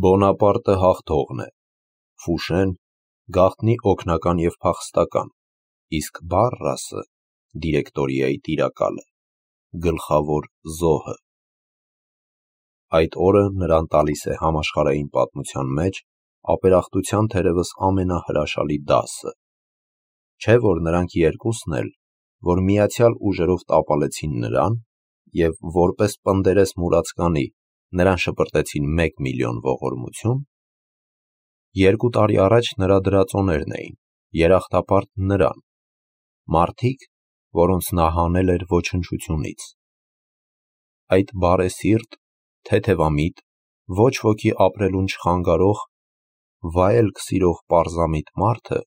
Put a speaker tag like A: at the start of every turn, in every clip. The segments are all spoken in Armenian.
A: Բոնապարտը հաղթողն է, Ֆուշեն գաղտնի օգնական և փախստական, իսկ Բարրասը դիրեկտորիայի տիրակալը, գլխավոր զոհը։ Այդ օրը նրան տալիս է համաշխարհային պատմության մեջ ապերախտության թերևս ամենահրաշալի դասը։ Չէ՞ որ նրանք երկուսն էլ, որ միացյալ ուժերով տապալեցին նրան և որպես պնդերես մուրացկանի նրան շպրտեցին 1 միլիոն ողորմություն, 2 տարի առաջ նրա դրածոներն էին, երախտապարտ նրան, մարդիկ, որոնց նա հանել էր ոչնչությունից։ Այդ բարեսիրտ, թեթևամիտ, ոչ ոքի ապրելուն չխանգարող, վայելք սիրող պարզամիտ մարդը,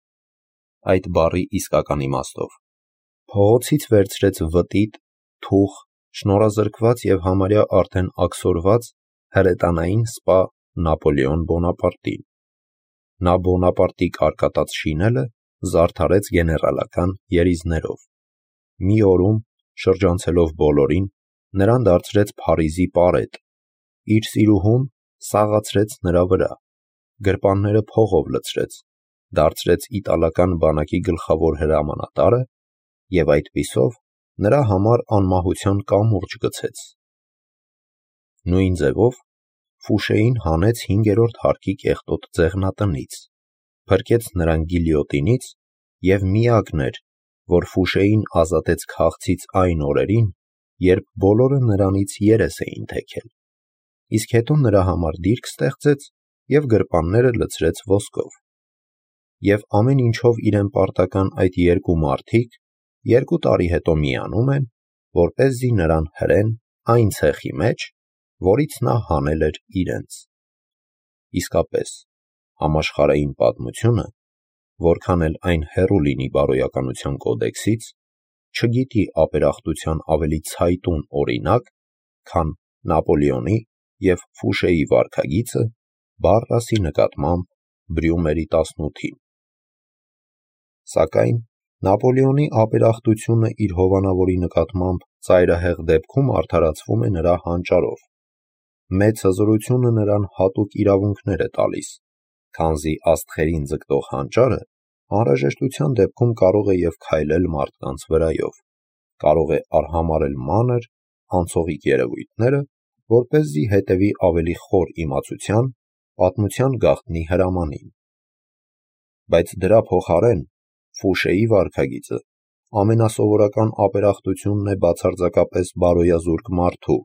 A: այդ բառի իսկական իմաստով, փողոցից վերցրեց վտիտ, թուխ, շնորհազրկված և համարյա արդեն աքսորված հրետանային սպա Նապոլեոն Բոնապարտին։ Նա Բոնապարտի կարկատած շինելը զարդարեց գեներալական երիզներով։ Մի օրում, շրջանցելով բոլորին, նրան դարձրեց Փարիզի պարետ, իր սիրուհուն սաղացրեց նրա վրա, գրպանները փողով լցրեց, դարձրեց իտալական բանակի գլխավոր հրամանատարը և այդպիսով նրա համար անմահության կամուրջ գցեց։ Նույն ձևով Ֆուշեին հանեց 5-րդ հարկի կեղտոտ ձեղնատնից, փրկեց նրան գիլյոտինից և միակն էր, որ Ֆուշեին ազատեց քաղցից այն օրերին, երբ բոլորը նրանից երես էին թեքել, իսկ հետո նրա համար դիրք ստեղծեց և գրպանները լցրեց ոսկով։ Եվ ամեն ինչով իրեն պարտական այդ երկու մարդիկ 2 տարի հետո միանում են, որպեսզի նրան հրեն այն ցեխի մեջ, որից նա հանել էր իրենց։ Իսկապես, համաշխարհային պատմությունը, որքան էլ այն հեռու լինի բարոյականության կոդեքսից, չգիտի ապերախտության ավելի ցայտուն օրինակ, քան Նապոլեոնի և Ֆուշեի վարքագիծը Բարրասի նկատմամբ Բրյումերի 18-ին։ Սակայն Նապոլեոնի ապերախտությունը իր հովանավորի նկատմամբ ծայրահեղ դեպքում արդարացվում է նրա հանճարով։ Մեծ հզորությունը նրան հատուկ իրավունքներ է տալիս, քանզի աստղերին ձգտող հանճարը անհրաժեշտության դեպքում կարող է և քայլել մարդկանց վրայով, կարող է արհամարհել մանր, անցողիկ երևույթները, որպեսզի հետևի ավելի խոր իմացության, պատմության գաղտնի հրամանին։ Բայց դրա փոխարեն Ֆուշեի վարքագիծը ամենասովորական ապերախտությունն է բացարձակապես բարոյազուրկ մարդու,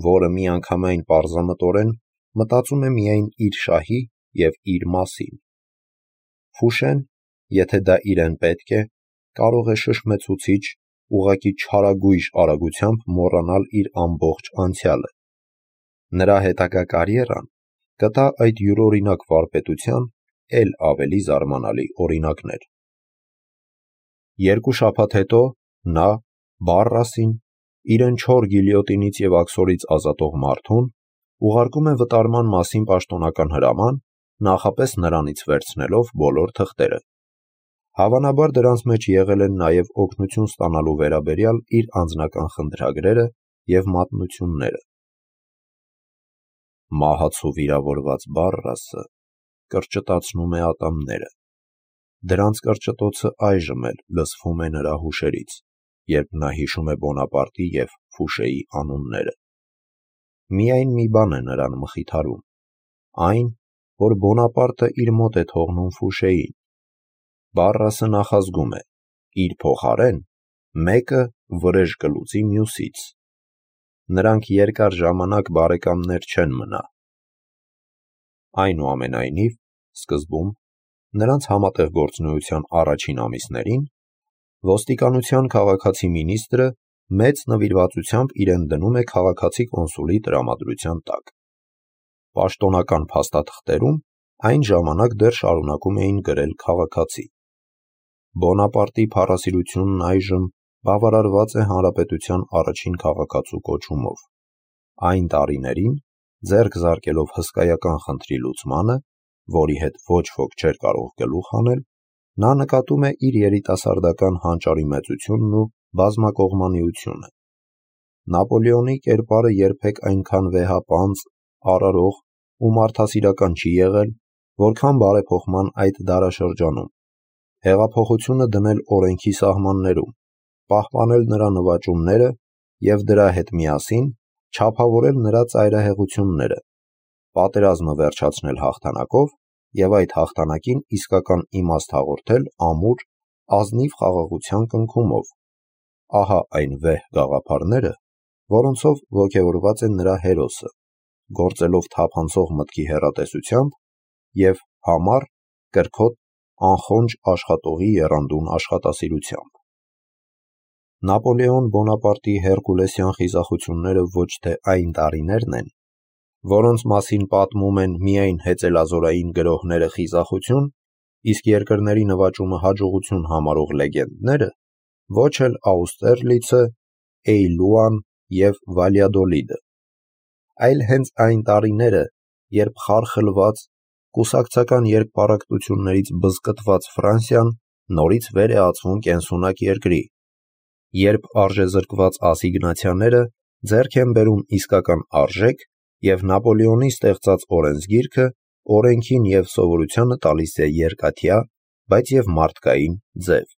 A: որը միանգամայն պարզամտորեն մտածում է միայն իր շահի և իր մասին։ Ֆուշեն, եթե դա իրեն պետք է, կարող է շշմեցուցիչ, ուղղակի չարագույժ արագությամբ մոռանալ իր ամբողջ անցյալը։ Նրա հետագա կարիերան կտա այդ յուրօրինակ վարպետության էլ ավելի զարմանալի օրինակներ։ 2 շաբաթ հետո նա Բարրասին, իրեն չոր գիլյոտինից և աքսորից ազատող մարդուն, ուղարկում է վտարման մասին պաշտոնական հրաման, նախապես նրանից վերցնելով բոլոր թղթերը։ Հավանաբար դրանց մեջ եղել են նաև օգնություն ստանալու վերաբերյալ իր անձնական խնդրագրերը և մատնությունները։ Մահացու վիրավորված Բարրասը կրճտացնում է ատամները։ Դրանց կրճտոցը այժմ էլ լսվում է նրա հուշերից, երբ նա հիշում է Բոնապարտի և Ֆուշեի անունները։ Միայն մի բան է նրան մխիթարում, այն, որ Բոնապարտը իր մոտ է թողնում Ֆուշեին։ Բարրասը նախազգում է իր փոխարեն մեկը վրեժ կլուծի մյուսից։ Նրանք երկար ժամանակ բարեկամներ չեն մնա։ Այնուամենայնիվ, սկզբում, նրանց համատեղ գործունեության առաջին ամիսներին, ոստիկանության քաղաքացի մինիստրը մեծ նվիրվածությամբ իրեն դնում է քաղաքացի կոնսուլի տրամադրության տակ։ Պաշտոնական փաստաթղթերում այն ժամանակ դեռ շարունակում էին գրել քաղաքացի։ Բոնապարտի փառասիրությունն այժմ բավարարված է հանրապետության առաջին քաղաքացու կոչումով։ Այն տարիներին, ձեռք զարկելով հսկայական խնդրի լուծմանը, որի հետ ոչ ոք չէր կարող գլուխ հանել, նա նկատում է իր երիտասարդական հանճարի մեծությունն ու բազմակողմանիությունը։ Նապոլեոնի կերպարը երբեք այնքան վեհապանծ, արարող ու մարդասիրական չի եղել, որքան բարեփոխման այդ դարաշրջանում, հեղափոխությունը դնել օրենքի սահմաններում, պահպանել նրա նվաճումները և դրա հետ միասին չափավորել նրա ծայրահեղությունները, պատերազմը վերջացնել հաղթանակով և այդ հաղթանակին իսկական իմաստ հաղորդել ամուր, ազնիվ խաղաղության կնքումով։ Ահա այն վեհ գաղափարները, որոնցով ոգևորված է նրա հերոսը, գործելով թափանցող մտքի հեռատեսությամբ և համառ, կրքոտ, անխոնջ աշխատողի եռանդուն աշխատասիրությամբ։ Նապոլեոն Բոնապարտի հերկուլեսյան խիզախությունները ոչ թե այն տարիներն են, որոնց մասին պատմում են միայն հեծելազորային գրողները խիզախություն, իսկ երկրների նվաճումը հաջողություն համարող լեգենդները, ոչ էլ Աուստերլիցը, Էյլուան և Վալյադոլիդը, այլ հենց այն տարիները, երբ խարխլված, կուսակցական երկպառակտություններից բզկտված Ֆրանսիան նորից վեր է ածվում կենսունակ երկրի, երբ արժեզրկված ասիգնացիաները ձեռք են բերում իսկական արժեք և Նապոլեոնի ստեղծած օրենսգիրքը օրենքին և սովորությանը տալիս է երկաթյա, բայց և մարդկային ձև,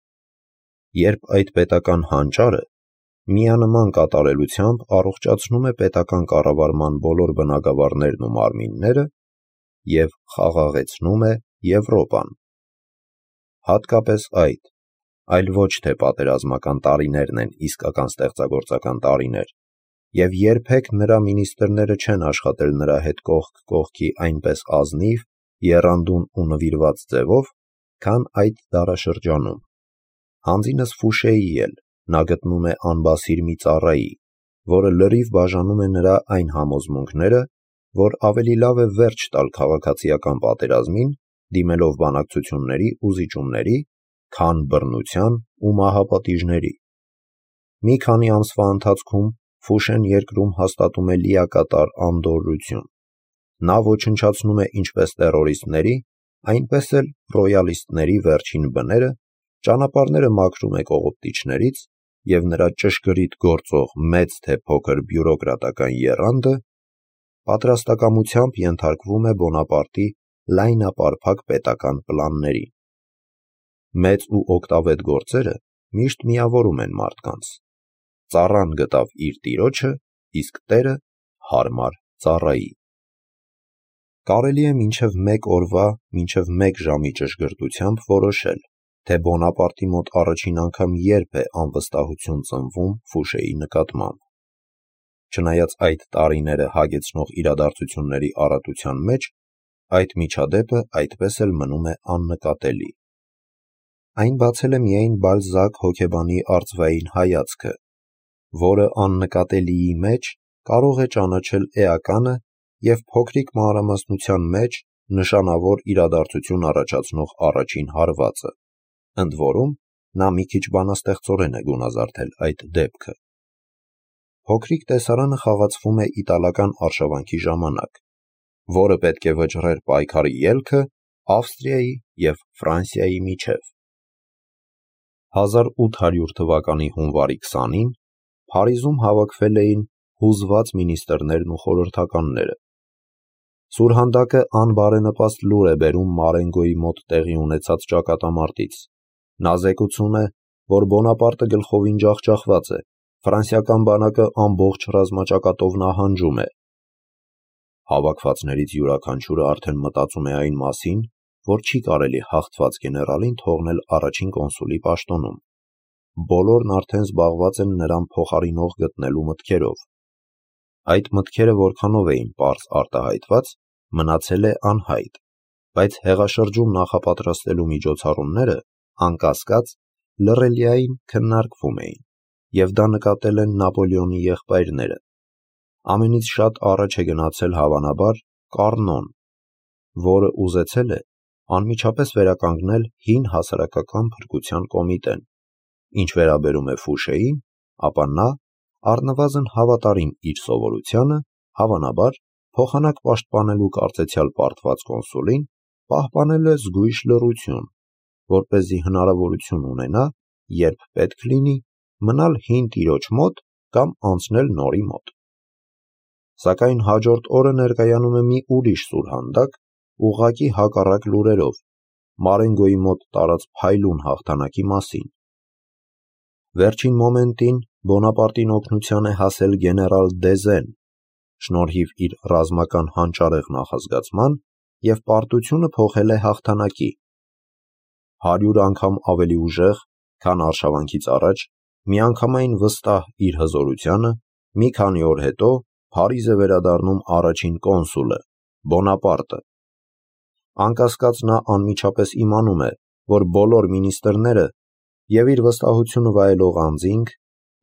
A: երբ այդ պետական հանճարը միանման կատարելությամբ առողջացնում է պետական կառավարման բոլոր բնագավառներն ու մարմինները և խաղաղեցնում է Եվրոպան։ Հատկապես այդ, այլ ոչ թե պատերազմական տարիներն են իսկական ստեղծագործական տարիներ, և երբեք նրա մինիստրները չեն աշխատել նրա հետ կողք կողքի այնպես ազնիվ, եռանդուն ու նվիրված ձևով, քան այդ դարաշրջանում։ Հանձինս Ֆուշեի էլ նա գտնում է անբասիր մի ծառայի, որը լրիվ բաժանում է նրա այն համոզմունքները, որ ավելի լավ է վերջ տալ քաղաքացիական պատերազմին, դիմելով բանակցությունների ու զիջումների, քան բռնության ու մահապատիժների։ Մի քանի ամսվա ընթացքում Ֆուշեն երկրում հաստատում է լիակատար անդորրություն։ Նա ոչնչացնում է ինչպես տերորիստների, այնպես էլ ռոյալիստների վերջին բները, ճանապարհները մաքրում է կողոպտիչներից և նրա ճշգրիտ գործող մեծ թե փոքր բյուրոկրատական եռանդը պատրաստակամությամբ ենթարկվում է Բոնապարտի լայնապարփակ պետական պլաններին։ Մեծ ու օգտավետ գործերը միշտ միավորում են մարդկանց։ Ծառան գտավ իր տիրոջը, իսկ տերը հարմար ծառայի։ Կարելի է մինչև մեկ օրվա, մինչև մեկ ժամի ճշգրտությամբ որոշել, թե Բոնապարտի մոտ առաջին անգամ երբ է անվստահություն ծնվում Ֆուշեի նկատմամբ։ Չնայած այդ տարիները հագեցնող իրադարձությունների առատության մեջ, այդ միջադեպը այդպես էլ մնում է աննկատելի։ Այն բացել է միայն Բալզակ հոգեբանի արծվային հայացքը, որը աննկատելիի մեջ կարող է ճանաչել էականը և փոքրիկ մանրամասնության մեջ նշանավոր իրադարձություն առաջացնող առաջին հարվածը, ընդ որում նա մի քիչ բանաստեղծորեն է գունազարդել այդ դեպքը։ Փոքրիկ տեսարանը խաղացվում է իտալական արշավանքի ժամանակ, որը պետք է վճռեր պայքարի ելքը Ավստրիայի և Ֆրանսիայի միջև։ 1800 թվականի հունվարի 20-ին Փարիզում հավաքվել էին հուզված մինիստրներն ու խորհրդականները։ Սուրհանդակը անբարենպաստ լուր է բերում Մարենգոյի մոտ տեղի ունեցած ճակատամարտից։ Նա զեկուցում է, որ Բոնապարտը գլխովին ջախջախված է, ֆրանսիական բանակը ամբողջ ռազմաճակատով նահանջում է։ Հավաքվածներից յուրաքանչյուրը արդեն մտածում է այն մասին, որ չի կարելի հաղթված գեներալին թողնել առաջին կոնսուլի պաշտոնում։ Բոլորն արդեն զբաղված են նրան փոխարինող գտնելու մտքերով։ Այդ մտքերը որքանով էին պարզ արտահայտված, մնացել է անհայտ, բայց հեղաշրջում նախապատրաստելու միջոցառումները, անկասկած, լռելիային քննարկվում էին, և դա նկատել են Նապոլեոնի եղբայրները։ Ամենից շատ առաջ է գնացել հավանաբար Կառնոն, որը ուզեցել է անմիջապես վերականգնել հին հասարակական փրկության կոմիտեն։ Ինչ վերաբերում է Ֆուշեին, ապա նա, առնվազն հավատարիմ իր սովորությանը, հավանաբար, փոխանակ պաշտպանելու կարծեցյալ պարտված կոնսուլին, պահպանել է զգույշ լռություն, որպեսզի հնարավորություն ունենա, երբ պետք լինի, մնալ հին տիրոջ մոտ կամ անցնել նորի մոտ։ Սակայն հաջորդ օրը ներկայանում է մի ուրիշ սուրհանդակ, ուղղակի հակառակ լուրերով, Մարենգոյի մոտ տարած փայլուն հաղթանակի մասին։ Վերջին մոմենտին Բոնապարտին օգնության է հասել գեներալ Դեզեն, շնորհիվ իր ռազմական հանճարեղ նախազգացման և պարտությունը փոխել է հաղթանակի։ 100 անգամ ավելի ուժեղ, քան արշավանքից առաջ, միանգամայն վստահ իր հզորությանը, մի քանի օր հետո Փարիզ է վերադառնում առաջին կոնսուլը՝ Բոնապարտը։ Անկասկած նա անմիջապես իմանում է, որ բոլոր մինիստրները և իր վստահությունը վայելող անձինք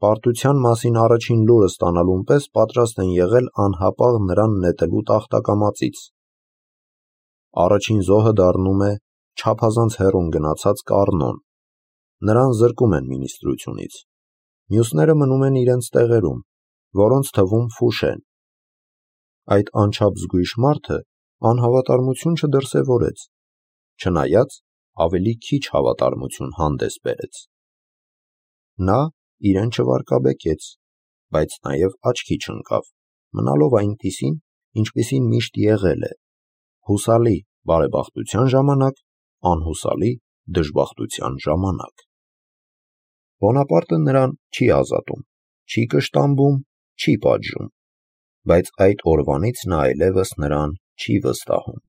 A: պարտության մասին առաջին լուրը ստանալուն պես պատրաստ են եղել անհապաղ նրան նետելու տախտակամածից։ Առաջին զոհը դառնում է չափազանց հեռուն գնացած Կառնոն։ Նրան զրկում են մինիստրությունից։ Մյուսները մնում են իրենց տեղերում, որոնց թվում Ֆուշեն։ Այդ անչափ զգույշ մարդը անհավատարմություն չդրսևորեց, չնայած ավելի քիչ հավատարմություն հանդես բերեց։ Նա իրեն չվարկաբեկեց, բայց նաև աչքի չընկավ, մնալով այնպիսին, ինչպիսին միշտ եղել է, հուսալի բարեբախտության ժամանակ, անհուսալի դժբախտության ժամանակ։ Բոնապարտը նրան չի ազատում, չի կշտամբում, չի պատժում, բայց այդ օրվանից նա այլևս նրան չի վստահում։